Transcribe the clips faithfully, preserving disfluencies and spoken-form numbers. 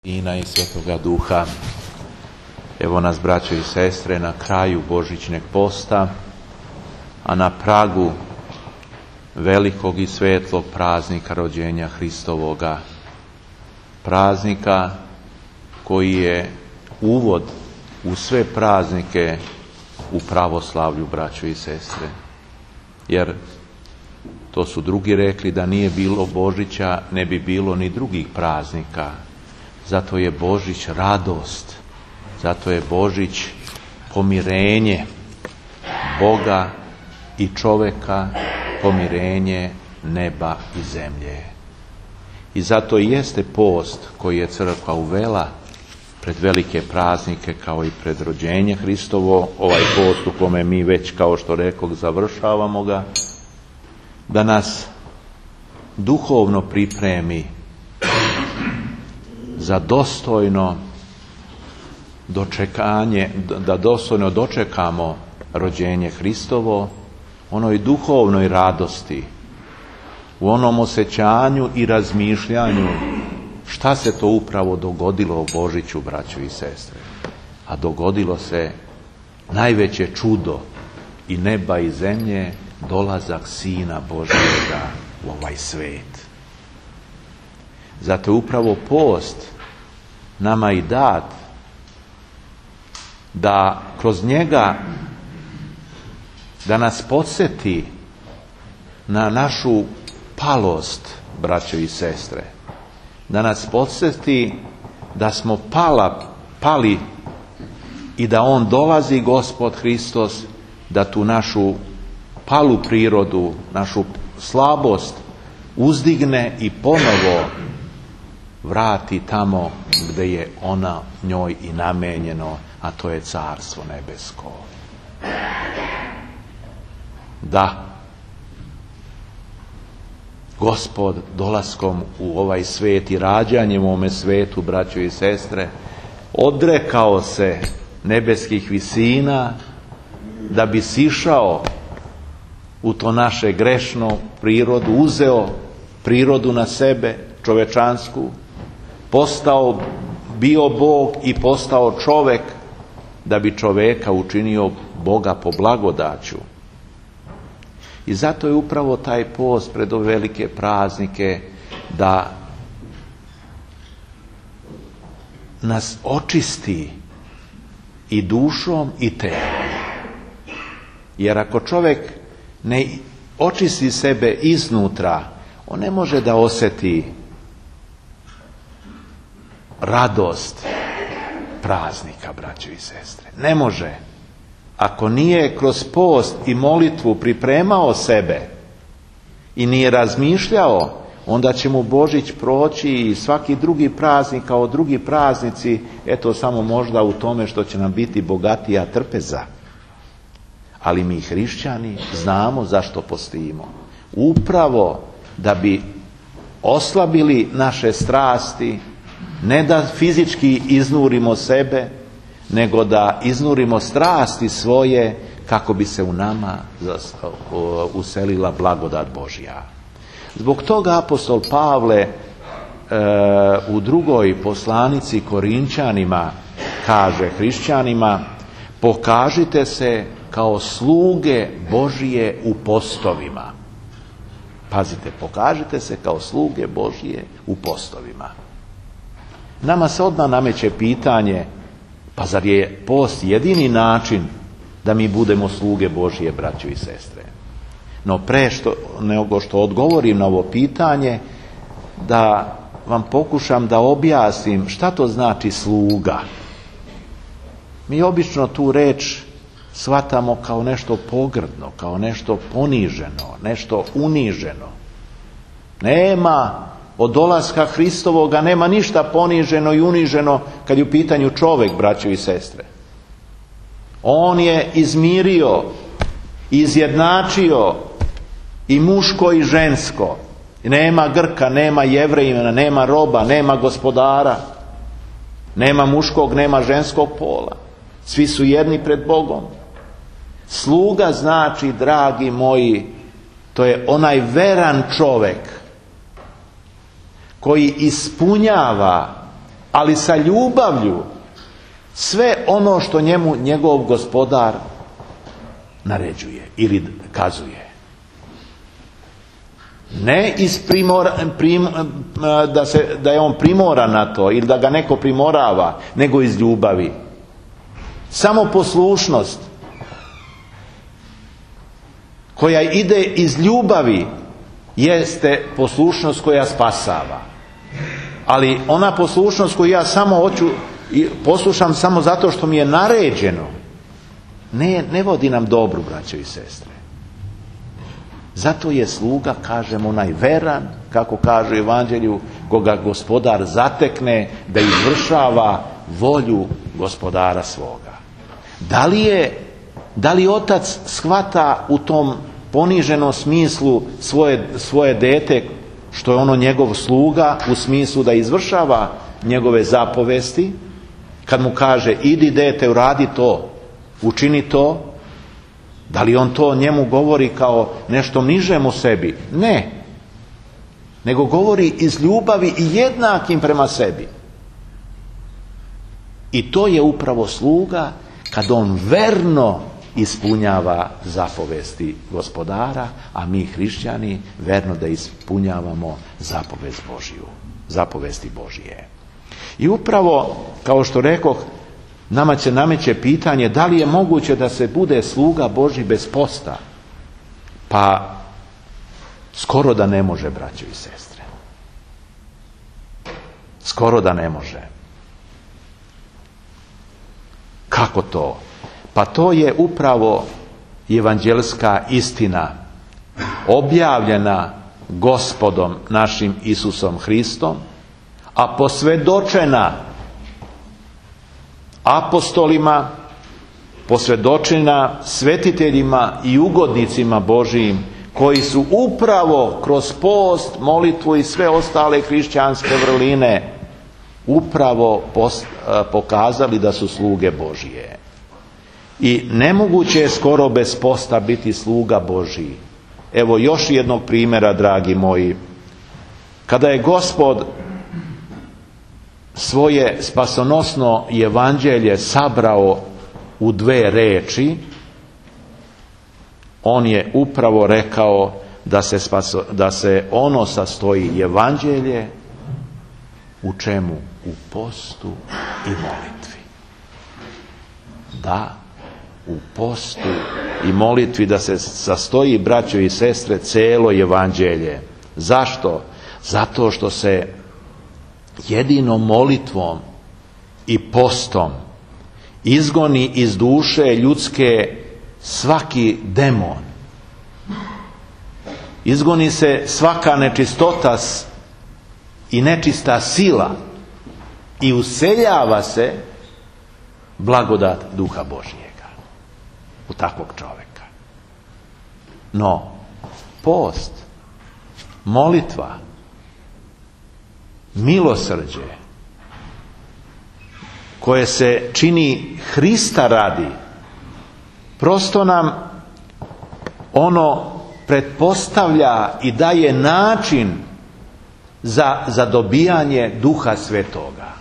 Sina i Svetoga Duha. Evo nas, braćo i sestre, na kraju Božićnjeg posta, a na pragu velikog i svetlog praznika rođenja Hristovoga. Praznika koji je uvod u sve praznike u pravoslavlju, braćo i sestre. Jer to su drugi rekli, da nije bilo Božića, ne bi bilo ni drugih praznika. Zato je Božić radost, zato je Božić pomirenje Boga i čoveka, pomirenje neba i zemlje. I zato i jeste post koji je crkva uvela pred velike praznike kao i pred rođenje Hristovo, ovaj post u kome mi već, kao što rekoh, završavamo ga, da nas duhovno pripremi za dostojno dočekanje, da dostojno dočekamo rođenje Hristovo, onoj duhovnoj radosti, u onom osjećanju i razmišljanju šta se to upravo dogodilo u Božiću, braćo i sestre. A dogodilo se najveće čudo i neba i zemlje, dolazak Sina Božjega u ovaj svet. Zato je upravo post nama i dat da kroz njega da nas podsjeti na našu palost, braćo i sestre. Da nas podsjeti da smo pala, pali i da On dolazi, Gospod Hristos, da tu našu palu prirodu, našu slabost uzdigne i ponovo vrati tamo gdje je ona njoj i namenjeno, a to je Carstvo nebesko. Da, Gospod dolaskom u ovaj svijet i rađanjem u ovome svijetu, braćo i sestre, odrekao se nebeskih visina da bi sišao u to naše grešno prirodu, uzeo prirodu na sebe, čovečansku, postao, bio Bog i postao čovek, da bi čoveka učinio Boga po blagodaću. I zato je upravo taj post pred ove velike praznike da nas očisti i dušom i telom. Jer ako čovjek ne očisti sebe iznutra, on ne može da osjeti radost praznika, braćo i sestre. Ne može. Ako nije kroz post i molitvu pripremao sebe i nije razmišljao, onda će mu Božić proći i svaki drugi praznik kao drugi praznici, eto samo možda u tome što će nam biti bogatija trpeza. Ali mi hrišćani znamo zašto postimo. Upravo da bi oslabili naše strasti, ne da fizički iznurimo sebe, nego da iznurimo strasti svoje kako bi se u nama uselila blagodat Božja. Zbog toga apostol Pavle e, u drugoj poslanici Korinčanima kaže hrišćanima: pokažite se kao sluge Božije u postovima. Pazite, pokažite se kao sluge Božije u postovima. Nama se odmah nameće pitanje, pa zar je post jedini način da mi budemo sluge Božije, braćo i sestre? No pre što, nego što odgovorim na ovo pitanje, da vam pokušam da objasnim šta to znači sluga. Mi obično tu reč shvatamo kao nešto pogrdno, kao nešto poniženo, nešto uniženo. Nema od dolaska Hristovoga, nema ništa poniženo i uniženo kad je u pitanju čovjek, braćo i sestre. On je izmirio, izjednačio i muško i žensko. Nema Grka, nema Jevrejina, nema roba, nema gospodara, nema muškog, nema ženskog pola. Svi su jedni pred Bogom. Sluga znači, dragi moji, to je onaj veran čovjek koji ispunjava ali sa ljubavlju sve ono što njemu njegov gospodar naređuje ili kazuje. Ne iz primora, prim, da, se, da je on primoran na to ili da ga neko primorava, nego iz ljubavi. Samo poslušnost koja ide iz ljubavi jeste poslušnost koja spasava. Ali ona poslušnost koju ja samo hoću i poslušam samo zato što mi je naređeno, ne, ne vodi nam dobru, braćo i sestre. Zato je sluga, kažem, onaj veran, kako kaže u Evanđelju, koga gospodar zatekne da izvršava volju gospodara svoga. Da li je, da li otac shvata u tom poniženom smislu svoje, svoje dete, što je ono njegov sluga, u smislu da izvršava njegove zapovesti, kad mu kaže idi dete, uradi to, učini to, da li on to njemu govori kao nešto nižem u sebi? Ne. Nego govori iz ljubavi i jednakim prema sebi. I to je upravo sluga kad on verno ispunjava zapovesti gospodara, a mi hrišćani verno da ispunjavamo zapovest Božiju, zapovesti Božije. I upravo, kao što rekoh, nama se nameće pitanje da li je moguće da se bude sluga Božji bez posta? Pa skoro da ne može, braćo i sestre. Skoro da ne može. Kako to? Pa to je upravo evanđelska istina objavljena Gospodom našim Isusom Hristom, a posvjedočena apostolima, posvjedočena svetiteljima i ugodnicima Božijim, koji su upravo kroz post, molitvu i sve ostale hrišćanske vrline upravo post, pokazali da su sluge Božije. I nemoguće je skoro bez posta biti sluga Božiji. Evo još jednog primjera, dragi moji. Kada je Gospod svoje spasonosno evanđelje sabrao u dve reči, on je upravo rekao da se, spaso, da se ono sastoji evanđelje u čemu? U postu i molitvi. Da, u postu i molitvi da se sastoji, braćo i sestre, celo evanđelje. Zašto? Zato što se jedino molitvom i postom izgoni iz duše ljudske svaki demon. Izgoni se svaka nečistota i nečista sila i useljava se blagodat Duha Božijega u takvog čovjeka. No, post, molitva, milosrđe koje se čini Hrista radi, prosto nam ono pretpostavlja i daje način za, za dobijanje Duha Svetoga.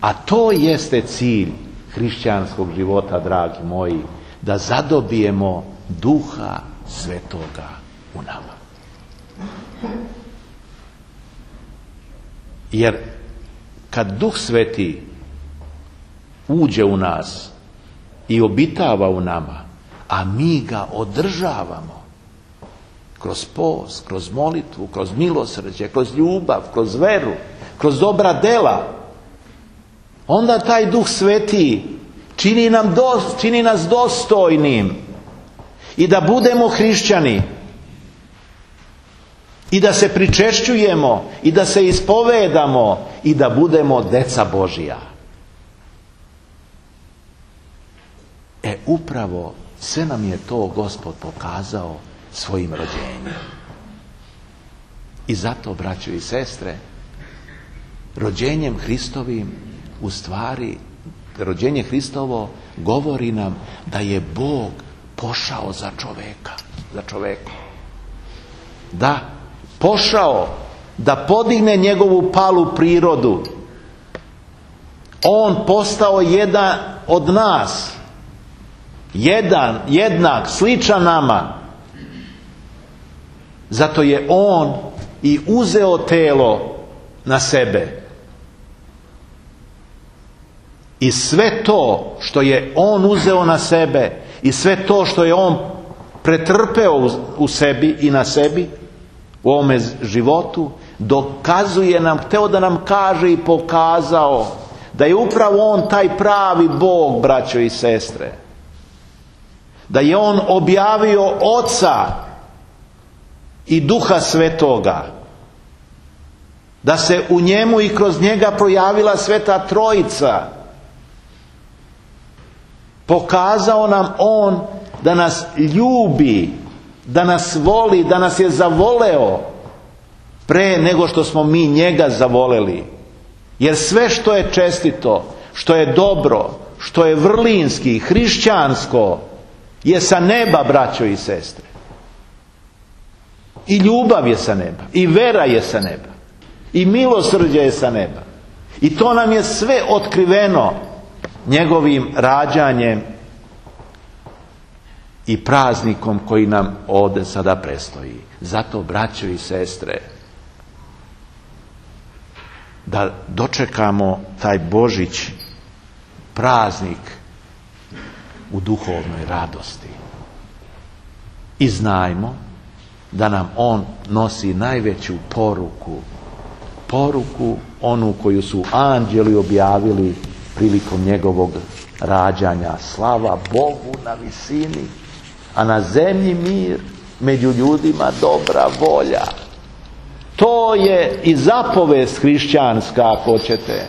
A to jeste cilj hrišćanskog života, dragi moji, da zadobijemo Duha Svetoga u nama. Jer kad Duh Sveti uđe u nas i obitava u nama, a mi ga održavamo kroz post, kroz molitvu, kroz milosrđe, kroz ljubav, kroz veru, kroz dobra dela, onda taj Duh Sveti čini, nam do, čini nas dostojnim i da budemo hrišćani i da se pričešćujemo i da se ispovedamo i da budemo deca Božija. E upravo sve nam je to Gospod pokazao svojim rođenjem. I zato, braćo i sestre, rođenjem Hristovim, u stvari, rođenje Hristovo govori nam da je Bog pošao za čoveka, za čoveku. Da, pošao da podigne njegovu palu prirodu On postao jedan od nas. Jedan, jednak, sličan nama. Zato je on i uzeo telo na sebe. I sve to što je on uzeo na sebe i sve to što je on pretrpeo u sebi i na sebi u ovome životu, dokazuje nam, hteo da nam kaže i pokazao da je upravo on taj pravi Bog, braćo i sestre. Da je on objavio Oca i Duha Svetoga. Da se u njemu i kroz njega projavila Sveta Trojica. Pokazao nam on da nas ljubi, da nas voli, da nas je zavoleo pre nego što smo mi njega zavoleli. Jer sve što je čestito, što je dobro, što je vrlinski, hrišćansko, je sa neba, braćo i sestre. I ljubav je sa neba, i vera je sa neba, i milosrđe je sa neba. I to nam je sve otkriveno njegovim rađanjem i praznikom koji nam ovdje sada predstoji. Zato, braćo i sestre, da dočekamo taj Božić, praznik u duhovnoj radosti. I znajmo da nam on nosi najveću poruku, poruku onu koju su anđeli objavili prilikom njegovog rađanja. Slava Bogu na visini, a na zemlji mir, među ljudima dobra volja. To je i zapovest hrišćanska, ako hoćete,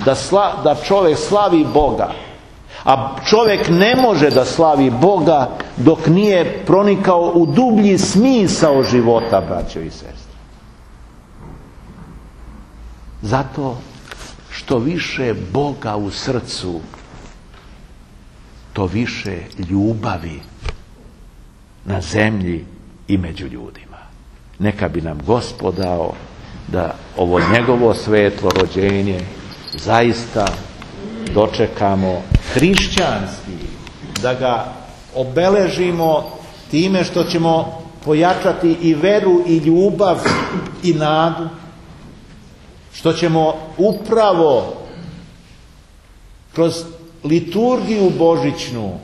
da, sla, da čovjek slavi Boga. A čovjek ne može da slavi Boga dok nije pronikao u dublji smisao života, braćo i sestre. Zato što više Boga u srcu, to više ljubavi na zemlji i među ljudima. Neka bi nam Gospod dao da ovo njegovo svetlo rođenje zaista dočekamo hrišćanski, da ga obeležimo time što ćemo pojačati i veru i ljubav i nadu, što ćemo upravo kroz liturgiju božićnu,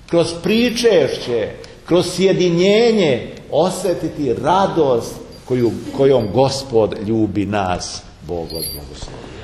kroz pričešće, kroz sjedinjenje osjetiti radost koju, kojom Gospod ljubi nas. Bog vas blagoslovi.